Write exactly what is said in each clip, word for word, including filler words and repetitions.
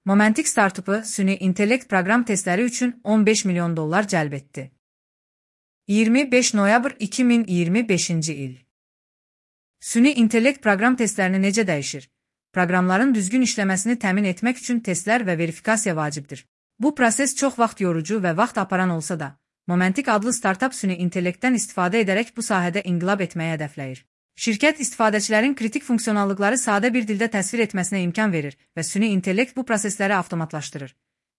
Momentik startupı süni intellekt proqram testləri üçün on beş milyon dollar cəlb etdi. iyirmi beş noyabr iki min iyirmi beşinci il. Süni intellekt proqram testlərini necə dəyişir? Proqramların düzgün işləməsini təmin etmək üçün testlər və verifikasiya vacibdir. Bu proses çox vaxt yorucu və vaxt aparan olsa da, Momentik adlı startup süni intellektdən istifadə edərək bu sahədə inqilab etməyə hədəfləyir. Şirkət istifadəçilərin kritik funksionallıqları sadə bir dildə təsvir etməsinə imkan verir və süni intellekt bu prosesləri avtomatlaşdırır.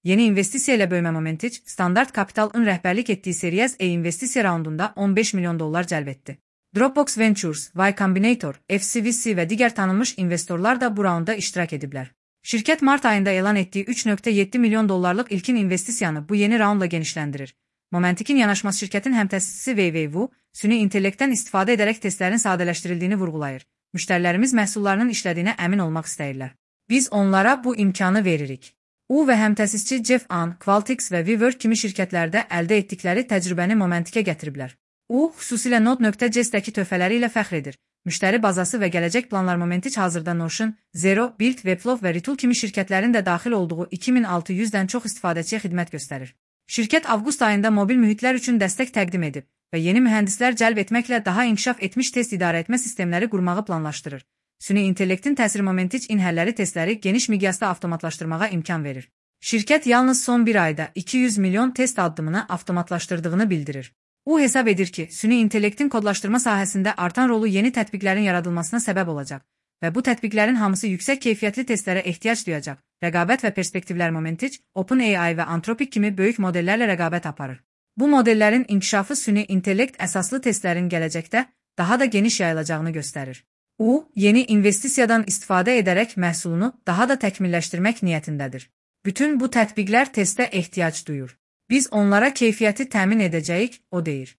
Yeni investisiya ilə böyümə Momentic, Standart Capital'ın rəhbərlik etdiyi Series A investisiya raundunda on beş milyon dollar cəlb etdi. Dropbox Ventures, Y Combinator, F C V C və digər tanınmış investorlar da bu raunda iştirak ediblər. Şirkət mart ayında elan etdiyi üç nöqtə yeddi milyon dollarlıq ilkin investisiyanı bu yeni raundla genişləndirir. Momentik'in yanaşması şirkətin həmtəsisi Weiwu, süni intellektdən istifadə edərək testlərin sadələşdirildiyini vurğulayır. Müştərilərimiz məhsullarının işlədiyinə əmin olmaq istəyirlər. Biz onlara bu imkanı veririk. U və həmtəsisçi Jeff An, Qualtrics və WeWork kimi şirkətlərdə əldə etdikləri təcrübəni Momentik'ə gətiriblər. U, xüsusilə Node.js-dəki töhfələri ilə fəxr edir. Müştəri bazası və gələcək planlar Momentic hazırda Notion, Zero, Build, Webflow və Retool kimi şirkətlərin də daxil olduğu iki min altı yüzdən çox istifadəçiyə xidmət göstərir. Şirkət avqust ayında mobil mühitlər üçün dəstək təqdim edib və yeni mühəndislər cəlb etməklə daha inkişaf etmiş test idarəetmə sistemləri qurmağı planlaşdırır. Süni intellektin təsiri Momentic in-həlləri testləri geniş miqyasda avtomatlaşdırmağa imkan verir. Şirkət yalnız son bir ayda iki yüz milyon test addımını avtomatlaşdırdığını bildirir. U hesab edir ki, süni intellektin kodlaşdırma sahəsində artan rolu yeni tətbiqlərin yaradılmasına səbəb olacaq və bu tətbiqlərin hamısı yüksək keyfiyyətli testlərə ehtiyac duyacaq. Rəqabət və perspektivlər Momentic, OpenAI və Anthropic kimi böyük modellərlə rəqabət aparır. Bu modellərin inkişafı süni intellekt əsaslı testlərin gələcəkdə daha da geniş yayılacağını göstərir. U, yeni investisiyadan istifadə edərək məhsulunu daha da təkmilləşdirmək niyyətindədir. Bütün bu tətbiqlər testə ehtiyac duyur. Biz onlara keyfiyyəti təmin edəcəyik, o deyir.